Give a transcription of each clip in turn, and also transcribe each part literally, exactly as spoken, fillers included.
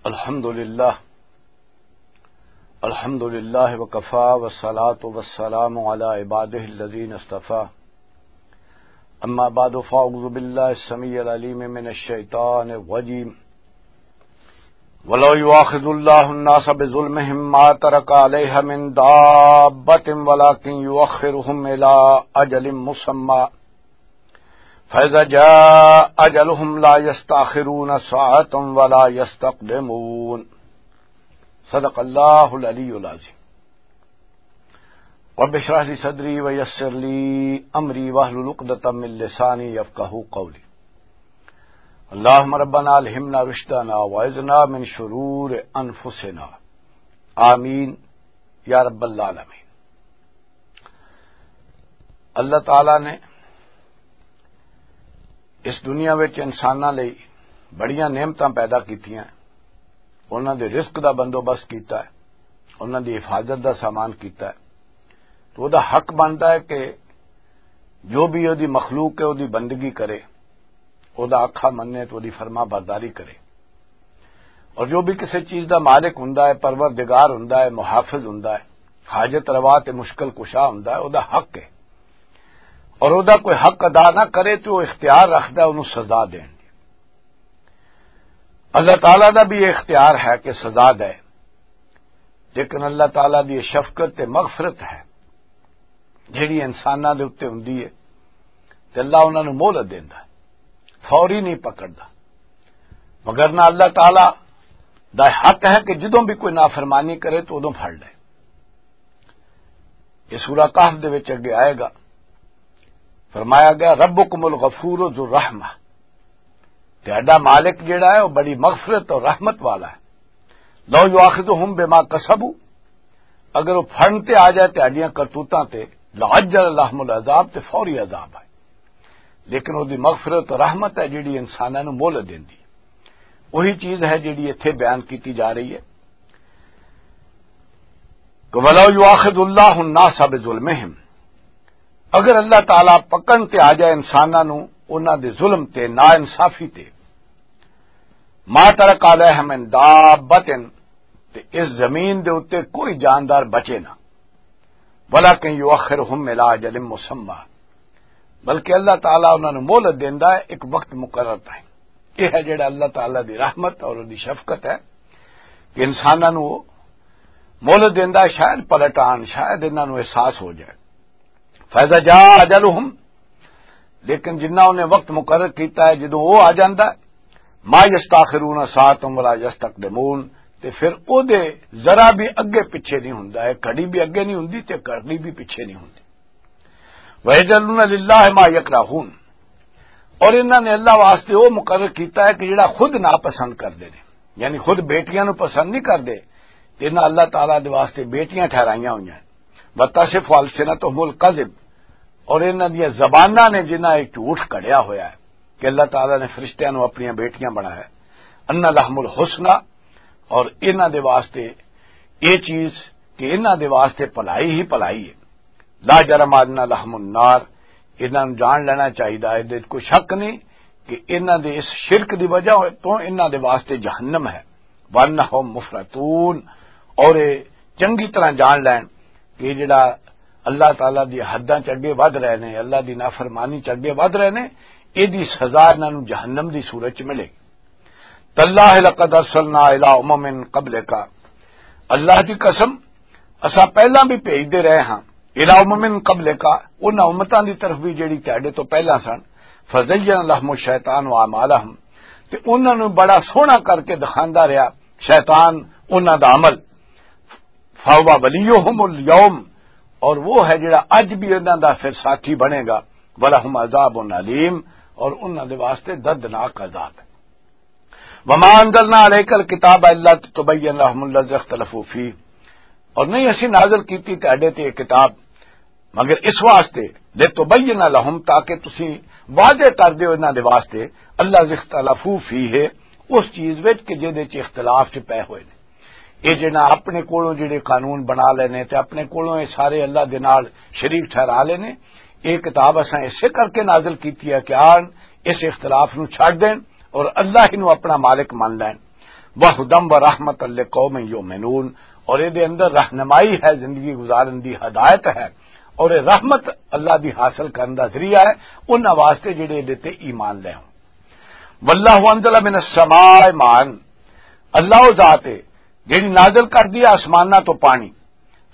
الحمد لله. الحمد لله وكفى، والصلاة والسلام على عباده الذين اصطفى. أما بعد، فأعوذ بالله السميع العليم من الشيطان الرجيم. ولو يؤاخذ الله الناس بظلمهم ما ترك عليها من دابة ولكن يؤخرهم إلى أجل مسمى فإذا جاء أجلهم لا يستأخرون ساعة ولا يستقدمون. صدق الله العلي العظيم. رب اشرح لي صدري ويسر لي أمري واحلل عقدة من لساني يفقهوا قولي. اللهم ربنا ألهمنا رشدنا وأعذنا من شرور أنفسنا. آمين يا رب العالمين. اللہ تعالی نے اس دنیا وچ انساناں لئی بڑیاں نعمتاں پیدا کیتیاں، انہاں دے رزق دا بندوبست کیتا ہے، انہاں دی حفاظت دا سامان کیتا ہے۔ تو او دا حق بندا ہے کہ جو بھی او دی مخلوق ہے، او دی بندگی کرے، او دا آکھا مننے، تو او دی فرما برداری کرے۔ اور جو بھی کسی چیز دا مالک ہوندا ہے، پروردگار ہوندا ہے، محافظ ہوندا ہے، حاجت روا تے مشکل کشا ہوندا ہے، او دا حق ہے۔ اور او دا کوئی حق ادا نہ کرے تو او اختیار رکھدا ہے اونوں سزا دین دی۔ اللہ تعالیٰ دا بھی یہ اختیار ہے کہ سزا دے، لیکن اللہ تعالیٰ دی یہ شفقت تے مغفرت ہے جیڑی انساناں دے اُتے ہوندی ہے، تے اللہ انہاں نوں مہلت دیندا ہے، فوری نہیں پکڑدا۔ مگر نہ اللہ تعالیٰ دا حق ہے کہ جدوں بھی کوئی نافرمانی کرے تو ادوں پھڑ لے۔ یہ سورہ کہف دے وچ اگے آئے گا، فرمایا گیا، "ربکم الغفور ذو الرحمہ"، تہاڈا مالک جیڑا ہے وہ بڑی مغفرت اور رحمت والا ہے۔ "لو یؤاخذہم بما کسبوا"، اگر وہ پھڑن تے آ جائے تہاڈیاں کرتوتاں تے، "لعجل لہم العذاب"، تے فوری عذاب ہے۔ لیکن وہ دی مغفرت اور رحمت ہے جیڑی انساناں نوں مہلت دیندی۔ وہی چیز ہے جیڑی ایتھے بیان کیتی جا رہی ہے کہ "ولو یؤاخذ اللہ الناس بظلمہم"، اگر اللہ تعالیٰ پکڑن تے آ جائے انساناں نوں انہاں دے ظلم تے، ناانصافی تے، "ما ترک علیہ من دابۃ"، تے اس زمین دے اُتے کوئی جاندار بچے نہ، "ولکن یؤخرہم الی اجل مسمی"، بلکہ اللہ تعالیٰ انہاں نوں مہلت دیندا ہے ایک وقت مقرر تائیں۔ یہ ہے جڑا اللہ تعالیٰ دی رحمت اور دی شفقت ہے کہ انساناں نوں وہ مہلت دیندا ہے، شاید پلٹ آن، شاید انہاں نوں احساس ہو جائے۔ "فاذا جاء اجلہم"، لیکن جنہاں انہیں وقت مقرر کیتا ہے، جدوں وہ آ جاندا ہے، "ما یستاخرون ساعتا ولا یستقدمون"، تے پھر او دے ذرا بھی اگے پیچھے نہیں ہوندا ہے، گھڑی بھی اگے نہیں ہوندی تے گھڑی بھی پیچھے نہیں ہوندی۔ "ویجعلون للہ ما یکرہون"، اور انہاں نے اللہ واسطے وہ مقرر کیتا ہے کہ جڑا خود ناپسند کردے نے، یعنی خود بیٹیاں نوں پسند نہیں کردے، تے انہاں اللہ تعالیٰ دے واسطے بیٹیاں ٹھہرائیاں ہوئیاں ہیں۔ "وتصف السنتہم الکذب"، اور انہاں دیاں زباناں نے جنہاں یہ جھوٹ کڑیا ہویا ہے کہ اللہ تعالیٰ نے فرشتیاں نوں اپنیاں بیٹیاں بنایا ہے۔ "ان لہم الحسنی"، اور انہاں دے واسطے یہ چیز کہ انہاں دے واسطے بھلائی ہی بھلائی ہے۔ "لا جرم ان لہم النار"، انہاں نوں جان لینا چاہیدا ہے، ادے کوئی شک نہیں کہ انہاں دے اس شرک دی وجہ تو انہاں دے واسطے جہنم ہے۔ "وانہم مفرطون"، اور یہ چنگی طرح جان لین کہ یہ جڑا اللہ تعالیٰ دی حداں چ اگے ودھ رہے نے، اللہ دی نافرمانی چ اگے ودھ رہے نے، یہ دی سزا انہاں نوں جہنم دی صورت چ ملے گی۔ "تاللہ لقد ارسلنا الی امم قبلک"، اللہ دی قسم، اساں پہلاں بھی بھیجدے رہے ہاں، "الی امم قبلک"، انہاں امتاں دی طرف بھی جڑی تہاڈے تو پہلاں سن، "فزین لہم الشیطان اعمالہم"، تے انہاں نوں بڑا سوہنا کر کے دکھاندا رہیا شیطان انہاں دا عمل، "فہو ولیہم الیوم"، اور وہ ہے جڑا اج بھی انہاں دا پھر ساتھی بنے گا، "ولہم عذاب علیم"، اور انہاں دے واسطے دردناک عذاب ہے۔ "وما انزلنا علیک الکتاب الا لتبین لہم الذی اختلفوا فیہ"، اور نہیں اسی نازل کیتی تہاڈے تے یہ کتاب مگر اس واسطے، "لتبین لہم"، تاکہ تسی واضح کر دیو انہاں دے واسطے، "الذی اختلفوا فیہ"، اس چیز وچ کہ جہدے چ اختلاف چ پے ہوئے نے۔ یہ جنہاں اپنے کولوں جڑے قانون بنا لینے تے اپنے کولوں یہ سارے اللہ دے نال شریک ٹھہرا لینے، یہ کتاب اساں اسے کر کے نازل کیتی ہے کہ آن اس اختلاف نو چھڈ دین اور اللہ ہی نو اپنا مالک من لین۔ وہدم و رحمت لقوم یؤمنون، اور یہ دے اندر رہنمائی ہے، زندگی گزارن دی ہدایت ہے، اور یہ رحمت اللہ دی حاصل کرن دا ذریعہ ہے انہاں واسطے جڑے دے تے ایمان لے ہوں۔ واللہ انزل من السماء ماء، اللہ او ذات ہے جڑی نازل کر دی آسماناں تو پانی،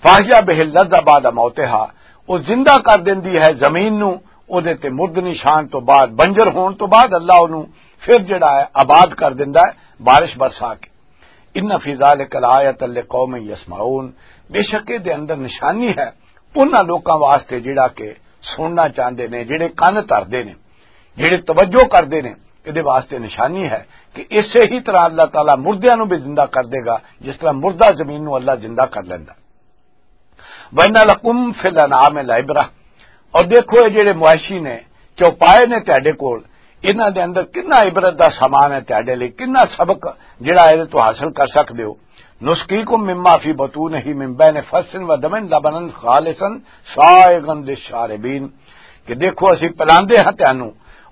فاحیا بہ الارض بعد موتہا، وہ زندہ کر دیندی ہے زمین نو، او دے تے مردنی شان تو بعد، بنجر ہون تو بعد اللہ اونوں پھر جڑا ہے آباد کر دیندا ہے بارش برسا کے۔ ان فی ذلک لآیۃ لقوم یسمعون، بے شک اے دے اندر نشانی ہے انہاں لوکاں واسطے جڑا کہ سننا چاہندے نے، جڑے کن دھردے نے، جڑے توجہ کردے نے۔ اے دے واسطے نشانی ہے کہ اسے ہی طرح اللہ تعالیٰ مردیاں نوں بھی زندہ کر دے گا، جس طرح مردہ زمین نوں اللہ زندہ کر لیندا۔ وَإِنَّ لَكُمْ فِي الْأَنْعَامِ لَعِبْرَةً، اور دیکھو، یہ جڑے مویشی نے، چوپائے نے تہاڈے کول، انہاں دے اندر کتنا عبرت دا سامان ہے تہاڈے لئی، کتنا سبق جڑا اے تو حاصل کر سکدے ہو۔ نُسْقِيكُم مِّمَّا فِي بُطُونِهِ مِن بَيْنِ فَرْثٍ وَدَمٍ لَبَنًا خَالِصًا سَائِغًا لِّلشَّارِبِينَ، کہ دیکھو، اسی پلاندے ہاں تانوں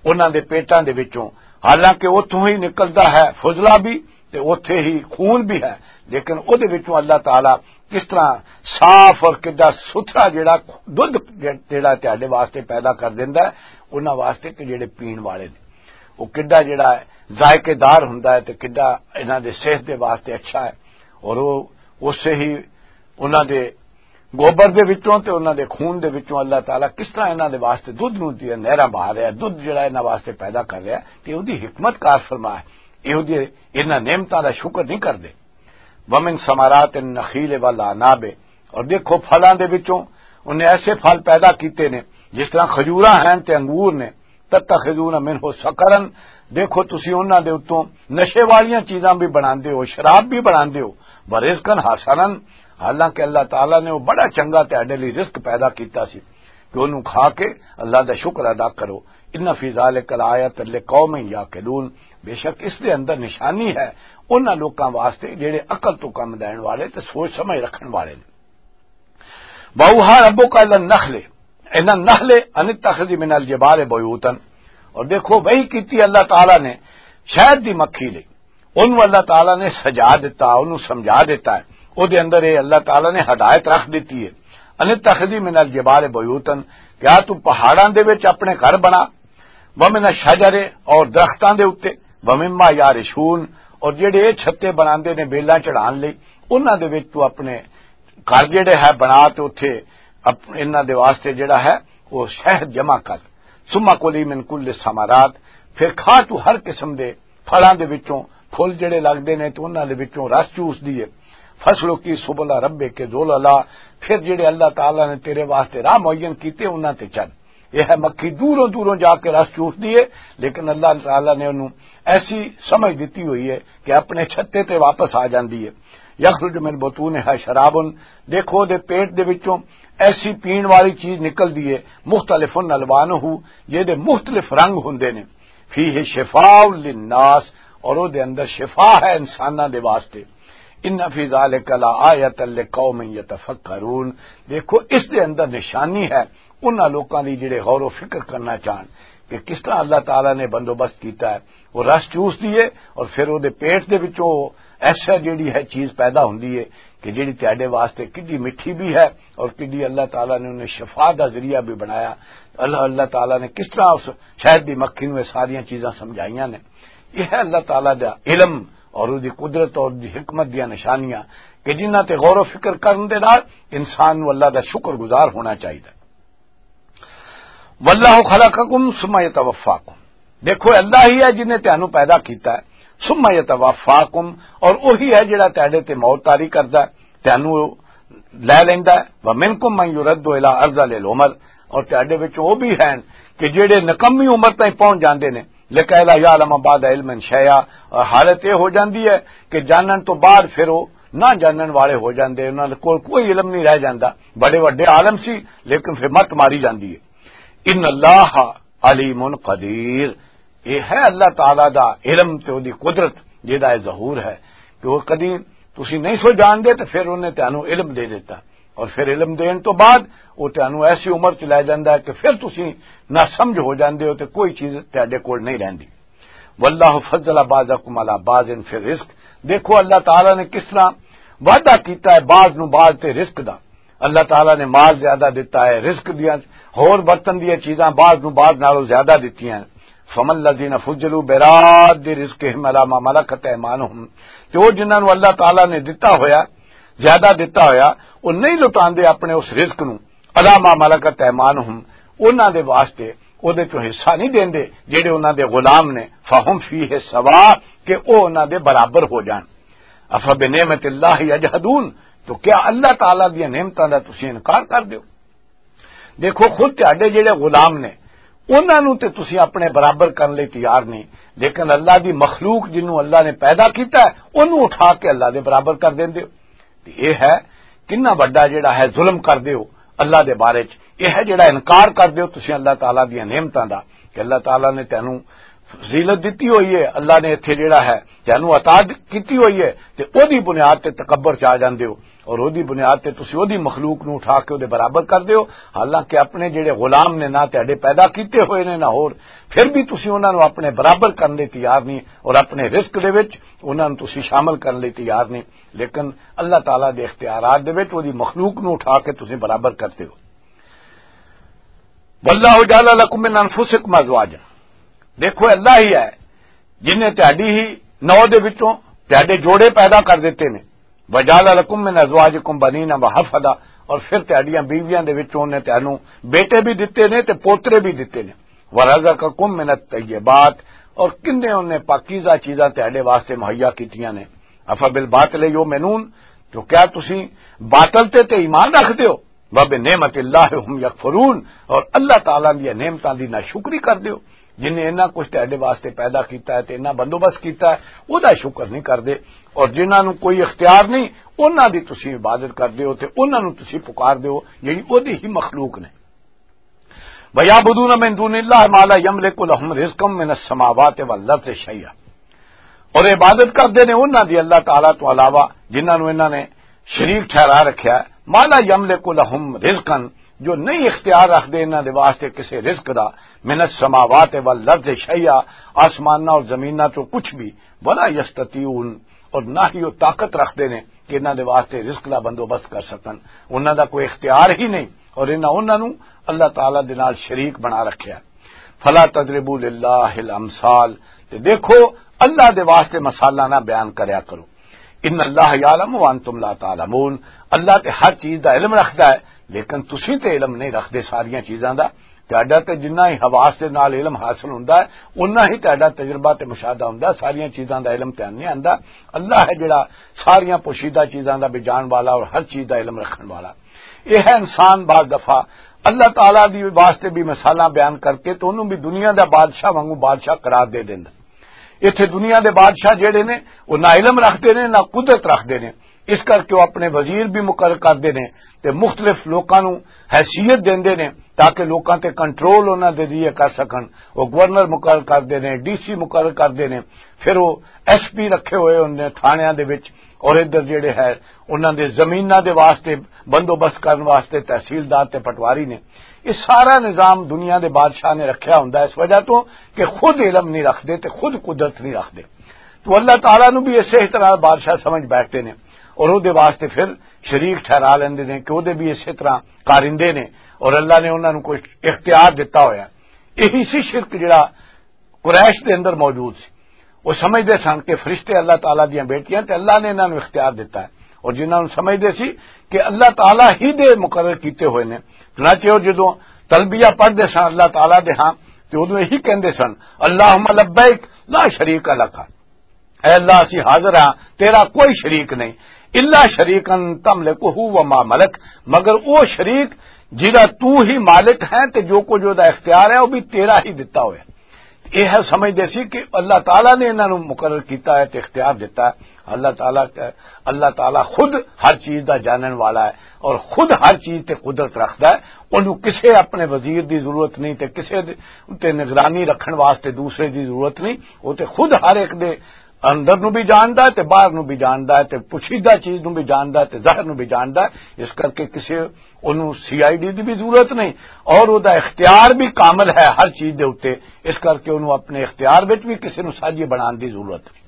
انہاں دے پیٹاں دے وچوں، حالانکہ اتھوں ہی نکلدا ہے فضلہ بھی تے اتھے ہی خون بھی ہے، لیکن او دے وچوں اللہ تعالیٰ کس طرح صاف اور کڈا ستھرا جڑا دودھ جڑا تہاڈے واسطے پیدا کر دیندا ہے، انہاں واسطے کہ جڑے پین والے نے، وہ کڈا جڑا ہے ذائقے دار ہوندا ہے تے کڈا انہاں دے صحت دے واسطے اچھا ہے۔ اور وہ اسے ہی انہاں دے گوبر دے وچوں تے انہاں دے خون دے وچوں اللہ تعالیٰ کس طرح انہاں دے واسطے دودھ نوں دیا نہراں بہا رہا ہے، دودھ جڑا انہاں واسطے پیدا کر رہا ہے، تے اودی حکمت کار فرما ہے۔ یہ اودی انہاں نعمتاں دا شکر نہیں کردے۔ وَمِن ثَمَرَاتِ النَّخِيلِ وَالْأَعْنَابِ، اور دیکھو، پھلاں دے وچوں انہیں ایسے پھل پیدا کیتے نے، جس طرح کھجوراں ہیں تے انگور نے، تَتَّخِذُونَ مِنْهُ سَكَرًا، دیکھو، تسی انہاں دے اتوں نشے والیاں چیزاں بھی بناندے ہو، شراب بھی بناندے ہو، وَرِزْقًا حَسَنًا، حالانکہ اللہ تعالیٰ نے وہ بڑا چنگا تہاڈے لئی رزق پیدا کیتا سی کہ انہوں کھا کے اللہ دا شکر ادا کرو۔ ان فی ذلک لآیۃ لقوم یعقلون، بے شک اس دے اندر نشانی ہے انہاں لوکاں واسطے جڑے عقل تو کم لین والے تے سوچ سمجھ رکھن والے نے۔ وَأَوْحَىٰ رَبُّكَ إِلَى النَّخْلِ، إِلَى النَّخْلِ أَنِ اتَّخِذِي مِنَ الْجِبَالِ بُيُوتًا، اور دیکھو، وحی کیتی اللہ تعالیٰ نے شہد دی مکھی لئی، انہوں اللہ تعالیٰ نے سجا دیتا، انہوں سمجھا دیتا ہے۔ او دے اندر یہ اللہ تعالیٰ نے ہدایت رکھ دیتی ہے، ان اتخذی من الجبال بیوتن، کیا تو پہاڑاں دے وچ اپنے گھر بنا، ومن الشجر، اور درختاں دے اُتے، ومما یعرشون، اور جڑے یہ چھتے بناندے نے بیلاں چڑھان لئی، انہاں دے وچ تو اپنے گھر جڑے ہے بنا تے اتھے اپ-، انہاں دے واسطے جڑا ہے وہ شہد جمع کر۔ ثم کلی من کل ثمرات، پھر کھا تو ہر قسم دے پھلاں دے وچوں، پھل جڑے لگدے نے تے انہاں دے وچوں رس چوس دیے۔ فسلکی سبل ربک ذللا، پھر جڑے اللہ تعالیٰ نے تیرے واسطے راہ معین کیتے انہاں تے چل۔ یہ ہے مکھی دوروں دوروں جا کے رس چوس دیے، لیکن اللہ تعالیٰ نے انہوں ایسی سمجھ دیتی ہوئی ہے کہ اپنے چھتے تے واپس آ جاندی ہے۔ یخرج من بطونہا شراب، دیکھو دے پیٹ دے وچوں ایسی پین والی چیز نکلدی ہے، مختلف الوانہ، جے دے مختلف رنگ ہوندے نے، فیہ شفاء للناس، اور او دے اندر شفا ہے انساناں دے واسطے۔ ان فی ذلک لآیۃ لقوم یتفکرون، دیکھو اس دے اندر نشانی ہے انہاں لوکاں دی جڑے غور و فکر کرنا چاہن کہ کس طرح اللہ تعالیٰ نے بندوبست کیتا ہے۔ وہ رس چوس دیے اور پھر وہ دے پیٹ دے وچوں ایسا جڑی ہے چیز پیدا ہوندی ہے کہ جڑی تہاڈے واسطے کڈی میٹھی بھی ہے اور کڈی اللہ تعالیٰ نے انہیں شفا دا ذریعہ بھی بنایا۔ اللہ، اللہ تعالیٰ نے کس طرح اس شہد دی مکھی نوں یہ ساریاں چیزاں سمجھائیاں نے۔ یہ ہے اللہ تعالیٰ دا علم اور اس دی قدرت اور اس دی حکمت دیاں نشانیاں کہ جنہاں تے غور و فکر کرن دے نال انسان نوں اللہ دا شکر گزار ہونا چاہیے۔ واللہ خلقکم ثم یتوفاکم، دیکھو اللہ ہی ہے جن نے تانوں پیدا کیتا ہے، ثم یتوفاکم، اور وہی ہے جڑا تہاڈے تے موت طاری کردا ہے، تانوں لے لیندا ہے۔ ومنکم من یرد الی ارذل العمر، اور تہاڈے وچ وہ بھی ہیں کہ جڑے نکمی عمر تائیں پہنچ جاندے نے، لکیلا یعلم بعد علم شیئا، اور حالت یہ ہو جاندی ہے کہ جانن تو بعد پھر وہ نہ جانن والے ہو جاندے، انہاں دے کول کوئی علم نہیں رہ جاندا۔ بڑے وڈے عالم سی، لیکن پھر مت ماری جاندی ہے۔ ان اللہ علیم قدیر، یہ ہے اللہ تعالیٰ دا علم تے دی قدرت، جہدا یہ ظہور ہے کہ وہ کدی تسی نہیں سو جان دے تے پھر انہیں تانوں علم دے دیتا، اور پھر علم دین تو بعد وہ تانوں ایسی عمر چ لے جاندا ہے کہ پھر تسی نہ سمجھ ہو جاندے ہو تے کوئی چیز تہاڈے کول نہیں رہندی۔ واللہ فضل بعضکم علی بعض فی الرزق۔ دیکھو، اللہ تعالیٰ نے کس طرح وعدہ کیتا ہے بعض نو بعض تے رزق دا۔ اللہ تعالیٰ نے مال زیادہ دتا ہے، رزق دیاں ہور برتن دیاں چیزاں بعض نو بعض نالوں زیادہ دتیاں ہیں۔ فما الذین فضلوا براد رزقہم علی ما ملکت ایمانہم۔ تے او جنہاں نو اللہ تعالیٰ نے دتا ہویا، زیادہ دتا ہویا، او نہیں لٹاندے اپنے اس رزق نو، علی ما ملکت ایمانہم، انہاں دے واسطے، او دے چوں حصہ نہیں دیندے جڑے انہاں دے غلام نے، فہم فیہ سوا، کہ او انہاں دے برابر ہو جان۔ افبنعمت اللہ یجحدون، تو کیا اللہ تعالیٰ دی نعمتاں دا تسی انکار کر دیو؟ دیکھو، خود تہاڈے جڑے غلام نے، انہاں نوں تے تسی اپنے برابر کرن لئی تیار نہیں، لیکن اللہ دی مخلوق جنوں اللہ نے پیدا کیتا ہے، انہوں اٹھا کے اللہ دے برابر کر دیندے ہو۔ تے یہ ہے کنا وڈا جڑا ہے ظلم کر دیو اللہ دے بارے چ۔ یہ ہے جڑا انکار کر دیو تسی اللہ تعالیٰ دیاں نعمتاں دا، کہ اللہ تعالیٰ نے تینوں فضیلت دتی ہوئی ہے، اللہ نے اتھے جڑا ہے تینوں عطا د-، کیتی ہوئی ہے، تے او دی بنیاد تے تکبر چ آ جاندے ہو، اور او دی بنیاد تے تسی او دی مخلوق نوں اٹھا کے او دے برابر کر دیو۔ حالانکہ اپنے جڑے غلام نے، نہ تہاڈے پیدا کیتے ہوئے نے نہ ہور، پھر بھی تسی انہاں نوں اپنے برابر کرن لئی تیار نہیں، اور اپنے رزق دے وچ انہاں نوں تسی شامل کرن لئی تیار نہیں۔ لیکن اللہ تعالیٰ دے اختیارات دے وچ او دی مخلوق نوں اٹھا کے تسی برابر کر دیو۔ واللہ جعل لکم من انفسکم ازواجا۔ دیکھو، اللہ ہی ہے جن نے تہاڈی ہی نو دے وچوں تہاڈے جوڑے پیدا کر دیتے نے۔ وجعل لکم من ازواجکم بنین و حفدا، اور پھر تہاڈیاں بیویاں دے وچوں نے تہانوں بیٹے بھی دتے نے تے پوترے بھی دتے نے۔ ورزقکم من الطیبات، اور کنے انہیں پاکیزہ چیزاں تہاڈے واسطے مہیا کیتیاں نے۔ افبالباطل یؤمنون، تو کیا تسی باطل تے تے ایمان رکھ دیو؟ وَبِنِعْمَتِ اللَّهِ هُمْ يَكْفُرُونَ، اور اللہ تعالیٰ دی نعمتاں دی ناشکری کر دیو۔ جن نے انہاں کچھ تہاڈے واسطے پیدا کیتا ہے تے انہاں بندوبست کیتا ہے، او دا شکر نہیں کردے۔ اور جنہاں نوں کوئی اختیار نہیں، انہاں دی تسی عبادت کردے ہو تے انہاں نوں تسی پکار دیو، یعنی او دی ہی مخلوق نے۔ وَيَعْبُدُونَ مِن دُونِ اللَّهِ مَا لَا يَمْلِكُ لَهُمْ رِزْقًا مِّنَ السَّمَاوَاتِ وَالْأَرْضِ شَيْئًا۔ اور عبادت کردے نے انہاں دی اللہ تعالیٰ تو علاوہ، جنہاں نوں انہاں نے شریک ٹھہرا رکھیا ہے، ما لا یملک لہم رزقا، جو نہیں اختیار رکھدے انہاں دے واسطے کسے رزق دا، من السماوات والارض شیئا، آسماناں اور زمیناں چوں کچھ بھی، ولا یستطیعون، اور نہ ہی وہ طاقت رکھدے نے کہ انہاں دے واسطے رزق دا بندوبست کر سکن۔ انہاں دا کوئی اختیار ہی نہیں، اور انہاں انہاں نوں اللہ تعالیٰ دے نال شریک بنا رکھیا۔ فلا تضربوا للہ الامثال، تے دیکھو، اللہ دے واسطے مثالاں نہ بیان کریا کرو۔ ان اللہ یعلم وانتم لا تعلمون، اللہ تے ہر چیز دا علم رکھدا ہے، لیکن تسی تے علم نہیں رکھدے ساریاں چیزاں دا۔ تہاڈا تے جنہ ہی حواس دے نال علم حاصل ہوندا ہے، انہاں ہی تہاڈا تجربہ تے مشاہدہ ہوندا ہے، ساریاں چیزاں دا علم تے نہیں آندا۔ اللہ ہے جڑا ساریاں پوشیدہ چیزاں دا بھی جان والا اور ہر چیز دا علم رکھن والا۔ یہ ہے انسان بعض دفعہ اللہ تعالیٰ دی واسطے بھی مثالاں بیان کر کے تو انہوں بھی دنیا دا بادشاہ وانگوں بادشاہ قرار دے دیندا۔ ایتھے دنیا دے بادشاہ جڑے نے، وہ نہ علم رکھدے نے، نہ قدرت رکھدے نے۔ اس کر کے وہ اپنے وزیر بھی مقرر کردے نے تے مختلف لوکاں نوں حیثیت دیندے نے تاکہ لوکاں تے کنٹرول انہاں دے ذریعے کر سکن۔ وہ گورنر مقرر کردے نے، ڈی سی مقرر کردے نے، پھر وہ ایس پی رکھے ہوئے انہاں نے تھانیاں دے وچ، اور ادھر جڑے ہے انہاں دے زمیناں دے واسطے بندوبست کرن واسطے تحصیلدار تے پٹواری نے۔ یہ سارا نظام دنیا دے بادشاہ نے رکھیا ہوندا ہے، اس وجہ تو کہ خود علم نہیں رکھدے تے خود قدرت نہیں رکھدے۔ تو اللہ تعالیٰ نو بھی اسے طرح بادشاہ سمجھ بیٹھتے نے، اور او دے واسطے پھر شریک ٹھہرا لیندے نے کہ او دے بھی اسے طرح کارندے نے، اور اللہ نے انہاں نو کوئی اختیار دتا ہویا۔ یہی سی شرک جڑا قریش دے اندر موجود سی۔ وہ سمجھدے سن کہ فرشتے اللہ تعالیٰ دیاں بیٹیاں تے اللہ نے انہاں نوں اختیار دتا ہے، اور جنہاں نوں سمجھدے سی کہ اللہ تعالیٰ ہی دے مقرر کیتے ہوئے نے۔ چنانچہ وہ جدوں تلبیہ پڑھدے سن اللہ تعالیٰ دے ہاں، تے اودوں یہی کہندے سن، "اللہم لبیک لا شریک لک"، اے اللہ، اسی حاضر ہاں، تیرا کوئی شریک نہیں۔ "الا شریکا تملکہ و ما ملک"، مگر وہ شریک جدا تو ہی مالک ہے تے جو کچھ دا اختیار ہے، وہ بھی تیرا ہی دتا ہویا۔ یہ ہے سمجھدے سی کہ اللہ تعالیٰ نے انہاں نوں مقرر کیتا ہے تے اختیار دتا ہے۔ اللہ تعالیٰ، اللہ تعالیٰ خود ہر چیز دا جانن والا ہے اور خود ہر چیز تے قدرت رکھدا ہے۔ انہوں کسے اپنے وزیر دی ضرورت نہیں تے کسے دے اُتے نگرانی رکھن واسطے دوسرے دی ضرورت نہیں۔ وہ تے خود ہر ایک دے اندر نو بھی جاندا ہے تے باہر نو بھی جاندا ہے تے پوشیدہ چیز نو بھی جاندا ہے تے ظاہر نو بھی جاندا ہے۔ اس کر کے کسے اونوں سی آئی ڈی دی بھی ضرورت نہیں، اور او دا اختیار بھی کامل ہے ہر چیز دے اُتے۔ اس کر کے اونوں اپنے اختیار وچ بھی کسے نوں ساجی بنان دی ضرورت نہیں۔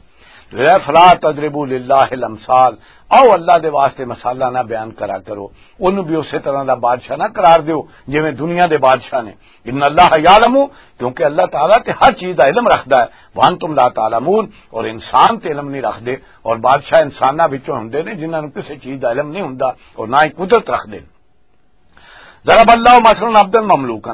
تو اے فلا تضربوا للہ الامثال، آؤ اللہ دے واسطے مثالاں نہ بیان کرا کرو، اونوں بھی اسی طرح دا بادشاہ نہ قرار دیو جویں دنیا دے بادشاہ نے۔ ان اللہ یعلم، کیونکہ اللہ تعالیٰ تے ہر چیز دا علم رکھدا ہے، وانتم لا تعلمون، اور انسان تے علم نہیں رکھدے، اور بادشاہ انساناں وچوں ہوندے نے جنہاں نوں کسے چیز دا علم نہیں ہوندا اور نہ ہی قدرت رکھدے۔ ضرب اللہ مثلا عبدا مملوکا،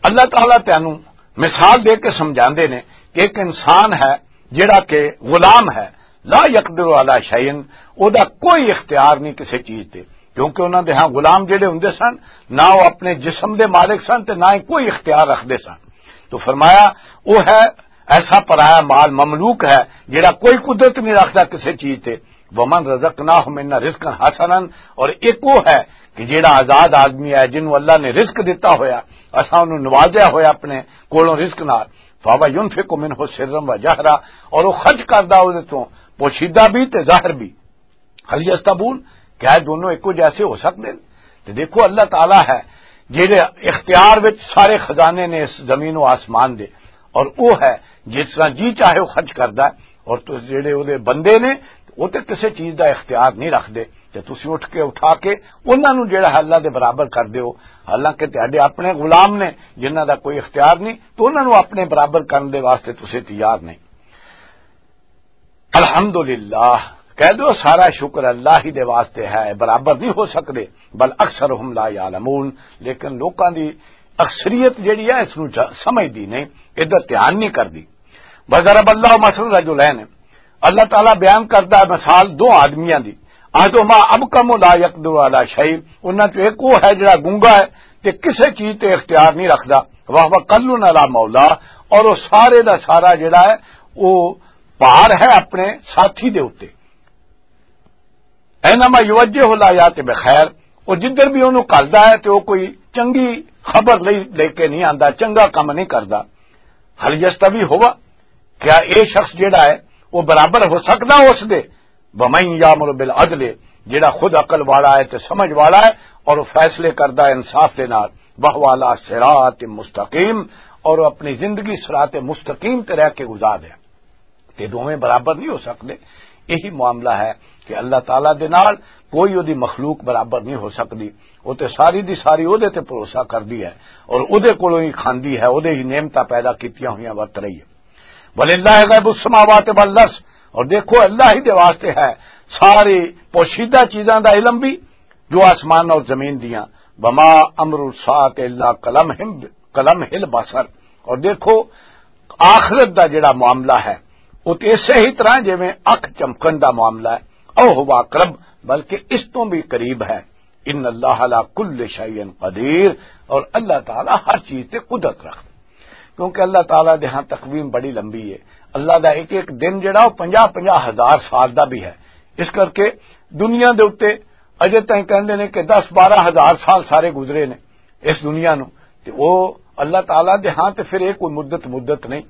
اللہ تعالیٰ تینوں مثال دے کے سمجھاندے نے کہ ایک انسان ہے جڑا کہ غلام ہے، لا یقدر علی شیء، او دا کوئی اختیار نہیں کسی چیز تے، کیونکہ انہاں دے ہاں غلام جڑے ہوندے سن، نہ او اپنے جسم دے مالک سن تے نہ ہی کوئی اختیار رکھدے سن۔ تو فرمایا، او ہے ایسا پرایا مال مملوک ہے جڑا کوئی قدرت نہیں رکھدا کسی چیز تے۔ ومن رزقناہ منا رزقا حسنا، اور ایک وہ ہے کہ جڑا آزاد آدمی ہے جنوں اللہ نے رزق دتا ہویا، اساں انہوں نوازیا ہویا اپنے کولوں رزق نال، فہو ینفق منہ سرا و جہرا، اور وہ خرچ کردا اودے تو پوشیدہ بھی تے ظاہر بھی۔ ہل یستبون، کیا دونوں ایکو جیسے ہو سکتے ہیں؟ تے دیکھو، اللہ تعالیٰ ہے جہدے اختیار وچ سارے خزانے نے اس زمین و آسمان دے، اور وہ ہے جس طرح جی چاہے وہ خرچ کردا ہے، اور تو جڑے وہ بندے نے، وہ تے کسے چیز دا اختیار نہیں رکھدے۔ تے تسی اٹھ کے، اٹھا کے انہاں نوں جڑا ہے اللہ دے برابر کر دیو، حالانکہ تہاڈے اپنے غلام نے جنہاں دا کوئی اختیار نہیں، تو انہاں نوں اپنے برابر کرن دے واسطے تسی تیار نہیں۔ الحمدللہ، کہہ دو سارا شکر اللہ ہی دے واسطے ہے، برابر نہیں ہو سکدے۔ بل اکثرہم لا یعلمون، لیکن لوکاں دی اکثریت جڑی ہے اس نوں جا-، سمجھدی نہیں، ادھر دھیان نہیں کردی۔ وضرب اللہ مثلا رجلین، اللہ تعالیٰ بیان کردا ہے مثال دو آدمیاں دی، احدہما ابکم لا یقدر علی شیء، انہاں چوں ایک وہ ہے جڑا گونگا ہے تے کسے چیز تے اختیار نہیں رکھدا، وہو کل علی مولا، اور وہ سارے دا سارا جڑا ہے وہ بھار ہے اپنے ساتھی دے اُتے۔ اینما یوجہ لا یات بخیر، وہ جدھر بھی انہوں گھلدا ہے تے وہ کوئی چنگی خبر لئی لے کے نہیں آندا، چنگا کم نہیں کردا۔ ہل یستوی ہوا، کیا اے شخص جڑا ہے وہ برابر ہو سکدا اس دے؟ ومن یامر بالعدل، جڑا خود عقل والا ہے تے سمجھ والا ہے اور وہ فیصلے کردا ہے انصاف دے نال، وہو علی صراط مستقیم، اور وہ اپنی زندگی صراط مستقیم تے رہ کے گزار ہے۔ تے دوویں برابر نہیں ہو سکدے۔ یہی معاملہ ہے کہ اللہ تعالیٰ دے نال کوئی اودی مخلوق برابر نہیں ہو سکدی۔ وہ تے ساری دی ساری اودے تے بھروسہ کردی ہے اور اودے کولوں ہی کھاندی ہے، اودے ہی نعمتاں پیدا کیتیاں ہوئیاں ورت رہی ہے۔ وللہ غیب السماوات والارض، اور دیکھو اللہ ہی دے واسطے ہے ساری پوشیدہ چیزاں دا علم بھی، جو آسمان اور زمین دیاں۔ وما امر الساعۃ الا کلمح، کلمح البصر، اور دیکھو آخرت دا جڑا معاملہ ہے، وہ تے اسے ہی طرح جویں اکھ چمکن دا معاملہ ہے، او ہوا اقرب، بلکہ اس تو بھی قریب ہے۔ ان اللہ علی کل شیء قدیر، اور اللہ تعالیٰ ہر چیز تے قدرت رکھدا۔ کیونکہ اللہ تعالیٰ دے ہاں تقویم بڑی لمبی ہے۔ اللہ دا ایک ایک دن جڑا وہ پنجاہ پنجاہ ہزار سال دا بھی ہے۔ اس کر کے دنیا دے اُتے اجے تائیں کہندے نے کہ دس بارہ ہزار سال سارے گزرے نے اس دنیا نو، تے وہ اللہ تعالیٰ دے ہاں تے پھر یہ کوئی مدت مدت نہیں،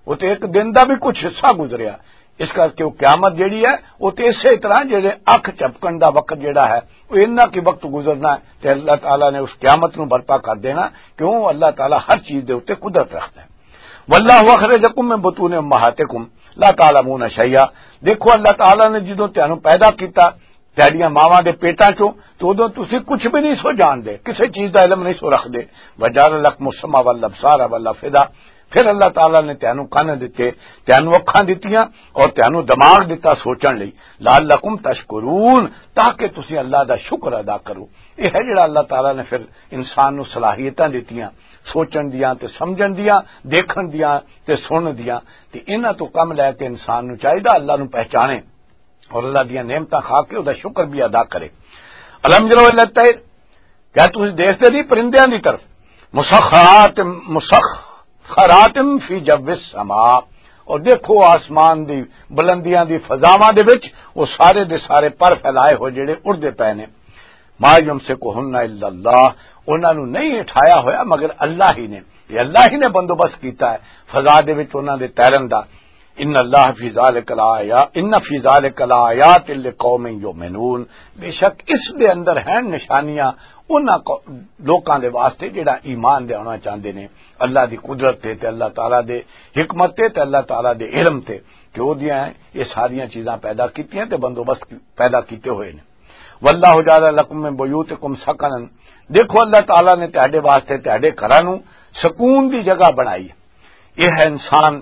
وہ تے ایک دن دا بھی کچھ حصہ گزریا۔ اس کر کے وہ قیامت جڑی ہے، وہ تے اسی طرح جڑے اکھ چپکن دا وقت جڑا ہے، وہ اتنا کی وقت گزرنا ہے تے اللہ تعالیٰ نے اس قیامت نو برپا کر دینا۔ کیوں؟ اللہ تعالیٰ ہر چیز دے اُتے قدرت رکھدا ہے۔ واللہ اخرجکم من بطون امہاتکم لا تعلمون شیئا۔ دیکھو، اللہ تعالیٰ نے جدوں تانوں پیدا کیتا تہاڈیاں ماواں دے پیٹاں چوں، تو ادوں تسی کچھ بھی نہیں سو جان دے، کسے چیز دا علم نہیں سو رکھ دے۔ وجعل لکم السمع والابصار والافئدہ، پھر اللہ تعالیٰ نے تینوں کن دتے، تینوں اکھاں دتیاں اور تینوں دماغ دتا سوچن لئی۔ لعلکم تشکرون، تاکہ تسی اللہ دا شکر ادا کرو۔ یہ ہے جڑا اللہ تعالیٰ نے پھر انسان نو صلاحیتاں دتیاں، سوچن دیاں تے سمجھن دیاں، دیکھن دیاں تے سنن دیاں۔ تے انہاں تو کم لے کے انسان نو چاہیدا اللہ نو پہچانے اور اللہ دیاں نعمتاں کھا کے او دا شکر بھی ادا کرے۔ الم یرو الی الطیر، کیا تسی دیکھتے نہیں پرندیاں دی طرف؟ مسخرات، مسخرات فی جو السماء، اور دیکھو آسمان دی بلندیاں دی فضاواں دے وچ وہ سارے دے سارے پر پھیلائے ہوئے جڑے اڑدے پے نے۔ ما یمسکہن الا اللہ، انہاں نو نہیں اٹھایا ہویا مگر اللہ ہی نے۔ یہ اللہ ہی نے بندوبست کیتا ہے فضا دے وچ انہاں دے تیرن دا۔ ان اللہ فی ذالک لآیا، ان فی ذالک لآیات لقوم یؤمنون، بے شک اس دے اندر ہیں نشانیاں انہاں کو، لوکاں دے واسطے جڑا ایمان لیاونا چاہندے نے اللہ دی قدرت تے، تے اللہ تعالیٰ دے حکمت تے، تے اللہ تعالیٰ دے علم تے، کہ او دیاں یہ ساریاں چیزاں پیدا کیتیاں تے بندوبست پیدا کیتے ہوئے نے۔ واللہ جعل لکم من بیوتکم سکنا، دیکھو اللہ تعالیٰ نے تہاڈے واسطے تہاڈے گھراں نوں سکون دی جگہ بنائی۔ یہ ہے انسان،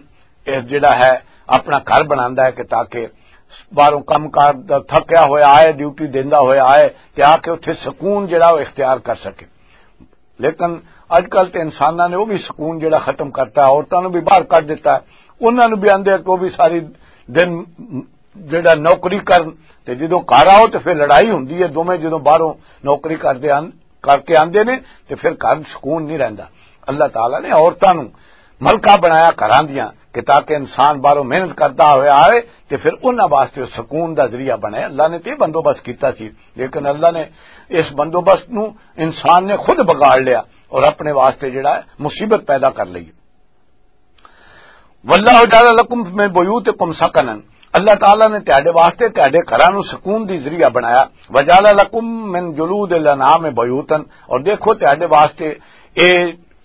یہ جڑا ہے اپنا گھر بناندا ہے کہ تاکہ باہروں کم کار دا تھکیا ہویا آئے، ڈیوٹی دیندا ہویا آئے، تے آ کے اتھے سکون جڑا وہ اختیار کر سکے۔ لیکن اج کل تے انساناں نے وہ بھی سکون جڑا ختم کرتا ہے، عورتاں نوں بھی باہر کڈ دتا ہے، انہاں نوں بھی آندے کہ وہ بھی ساری دن جڑا نوکری کرن، تے جدوں گھر آؤ تے پھر لڑائی ہوندی ہے، دوویں جدوں باہروں نوکری کردے ہن، کر کے آندے نے، تے پھر گھر سکون نہیں رہندا۔ اللہ تعالیٰ نے عورتاں نوں ملکہ بنایا گھراں دیاں کہ تاکہ انسان باہروں محنت کردا ہویا آئے تے پھر انہاں واسطے سکون دا ذریعہ بنے۔ اللہ نے تے بندوبست کیتا سی، لیکن اللہ نے اس بندوبست نوں انسان نے خود بگاڑ لیا اور اپنے واسطے جڑا ہے مصیبت پیدا کر لئی۔ واللہ جعل لکم من بیوتکم سکنا، اللہ تعالیٰ نے تہاڈے واسطے تہاڈے گھراں نوں سکون دی ذریعہ بنایا۔ وجعل لکم من جلود الانعام بیوتا، اور دیکھو تہاڈے واسطے اے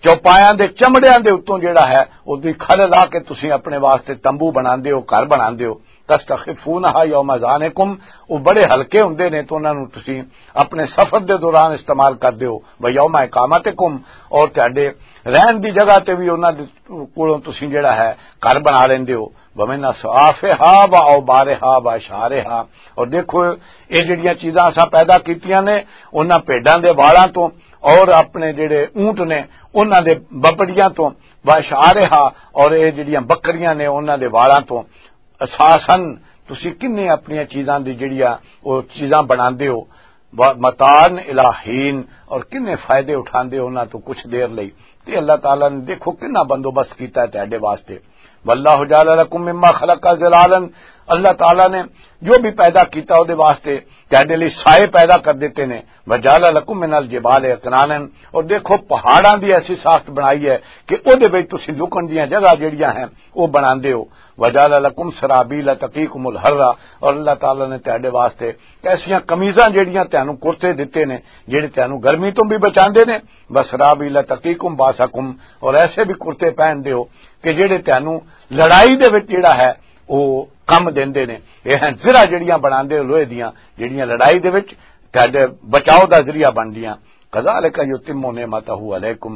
چوپایاں دے چمڑیاں دے اتوں جڑا ہے، اس دی کھل لا کے تسی اپنے واسطے تمبو بناندے ہو، گھر بناندے ہو۔ تستخفونہا یوم ظعنکم، وہ بڑے ہلکے ہوندے نے، تو انہاں نوں تسی اپنے سفر دے دوران استعمال کردے ہو۔ و یوم اقامتکم، اور تہاڈے رہن دی جگہ تے بھی انہاں دے کولوں تسی جڑا ہے گھر بنا لیندے ہو۔ ومن اصافہا و اوبارہا و اشعارہا، اور دیکھو یہ جڑیاں چیزاں اساں پیدا کیتیاں نے، انہاں بھیڈاں دے والاں تو اور اپنے جڑے اونٹ نے انہاں دے بپڑیاں تو، و اشعارہا، اور یہ جڑیاں بکریاں نے انہاں دے والاں تو، اساساً تسی کنے اپنیاں چیزاں دی جڑیاں او چیزاں بناندے ہو، و متاعاً الی حین، اور کنے فائدے اٹھاندے ہو انہاں تو کچھ دیر لئی۔ تے اللہ تعالیٰ نے دیکھو کنا بندوبست کیتا ہے تہاڈے واسطے۔ واللہ جعل لکم مما خلق ظلالا، اللہ تعالیٰ نے جو بھی پیدا کیتا او دے واسطے تہاڈے لئی سائے پیدا کر دیتے نے۔ وجعل لکم من الجبال اکنانا، اور دیکھو پہاڑاں دی ایسی ساخت بنائی ہے کہ او دے وچ تسی لکن دیاں جگہ جڑیاں ہیں او بناندے ہو۔ وجعل لکم سرابیل تقیکم الحر، اور اللہ تعالیٰ نے تہاڈے واسطے ایسیاں قمیضاں جڑیاں تہانوں کرتے دتے نے، جڑے تہانوں گرمی تو بھی بچاندے نے۔ وسرابیل تقیکم باسکم، اور ایسے بھی کرتے پہن دے ہو کہ جڑے تہانوں لڑائی دے وچ جڑا ہے او کم دیندے نے۔ یہ ہیں زرہ جڑیاں بناندے ہو لوہے دیاں، جڑیاں لڑائی دے وچ تہاڈے بچاؤ دا ذریعہ بندیاں۔ کذالک یتم نعمتہ علیکم،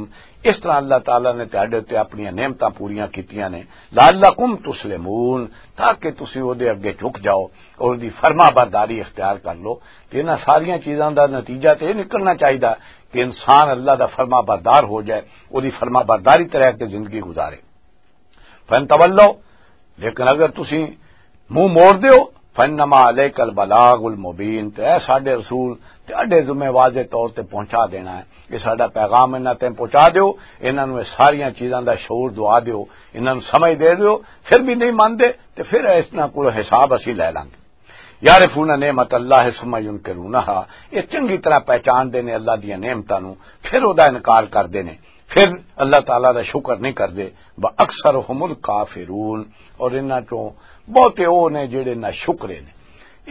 اس طرح اللہ تعالیٰ نے تہاڈے تے اپنی نعمتاں پوریاں کیتیاں نے۔ لعلکم تسلمون، تاکہ تسی او دے اگے جھک جاؤ اور دی فرما برداری اختیار کر لو۔ تے انہاں ساریاں چیزاں دا نتیجہ تے یہ نکلنا چاہیدا کہ انسان اللہ دا فرما بردار ہو جائے، او دی فرما برداری تے رہ کے زندگی گزارے۔ فَإِن تَوَلَّوْا، لیکن اگر تسی منہ موڑ دیو، فَإِنَّمَا عَلَيْكَ الْبَلَاغُ الْمُبِينُ، تے اے ساڈے رسول، تے اڈے ذمہ واضح طور تے پہنچا دینا ہے۔ یہ ساڈا پیغام انہاں تے پہنچا دیو، انہاں نوں یہ ساریاں چیزاں دا شعور دعا دیو، انہاں نوں سمجھ دے دیو، پھر بھی نہیں مانتے، تے پھر اس نہ کول حساب اسی لے لانگے۔ یعرفون نعمت اللہ ثم ینکرونہا، یہ چنگی طرح پہچان دے نے اللہ دیاں نعمتاں نوں، پھر او دا انکار کر دے نے، پھر اللہ تعالیٰ دا شکر نہیں کردے۔ وَأَكْثَرُهُمُ الْكَافِرُونَ، اور انہاں چوں بہتے او نے جڑے نہ شکرے نے۔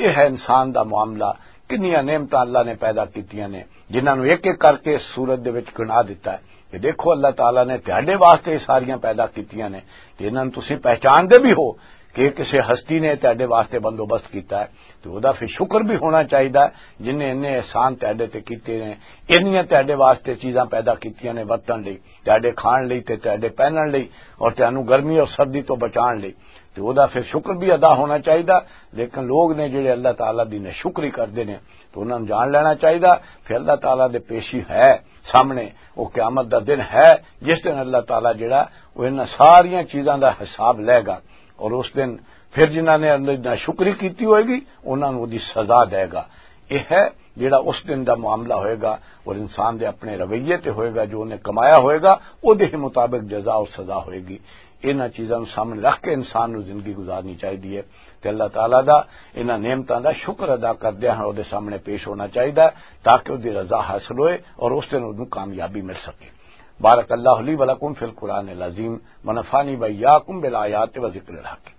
یہ ہے انسان دا معاملہ، کنیاں نعمتاں اللہ نے پیدا کیتیاں نے، جنہاں نوں ایک ایک کر کے اس صورت دے وچ گنا دیتا ہے کہ دیکھو اللہ تعالیٰ نے تہاڈے واسطے یہ ساریاں پیدا کیتیاں نے، تے انہاں نوں تسی پہچان دے بھی ہو کہ کسے ہستی نے تہاڈے واسطے بندوبست کیتا ہے، تے او دا پھر شکر بھی ہونا چاہیدا ہے، جن نے انہیں احسان تہاڈے تے کیتے نے، انہیاں تہاڈے واسطے چیزاں پیدا کیتیاں نے ورتن لئی، تہاڈے کھان لئی تے تہاڈے پہنن لئی، اور تہانوں گرمی اور سردی تو بچان لئی، تے او دا پھر شکر بھی ادا ہونا چاہیدا۔ لیکن لوگ نے جڑے اللہ تعالیٰ دی ناشکری کردے نے، تو انہاں نوں جان لینا چاہیدا۔ پھر اللہ تعالیٰ دے پیشی ہے سامنے، وہ قیامت دا دن ہے، جس دن اللہ تعالیٰ جڑا، وہ انہاں ساریاں چیزاں دا حساب لے گا، اور اس دن پھر جنہاں نے اللہ دی ناشکری کیتی ہوئے گی، انہاں نوں دی سزا دے گا۔ یہ ہے جڑا اس دن دا معاملہ ہوئے گا، اور انسان دے اپنے رویے تے ہوئے گا، جو انہیں کمایا ہوئے گا، وہ دے مطابق جزا اور سزا ہوئے گی۔ انہاں چیزاں نوں سامنے رکھ کے انسان نوں زندگی گزارنی چاہیے، تے اللہ تعالیٰ دا انہاں نعمتاں دا شکر ادا کردیاں ہاں، او دے سامنے پیش ہونا چاہیدا ہے، تاکہ او دی رضا حاصل ہوئے اور اس دن اونوں کامیابی مل سکے۔ بارک اللہ لی و لکم فی القرآن العظیم، و نفعنی و ایاکم بالآیات و ذکر الحکیم۔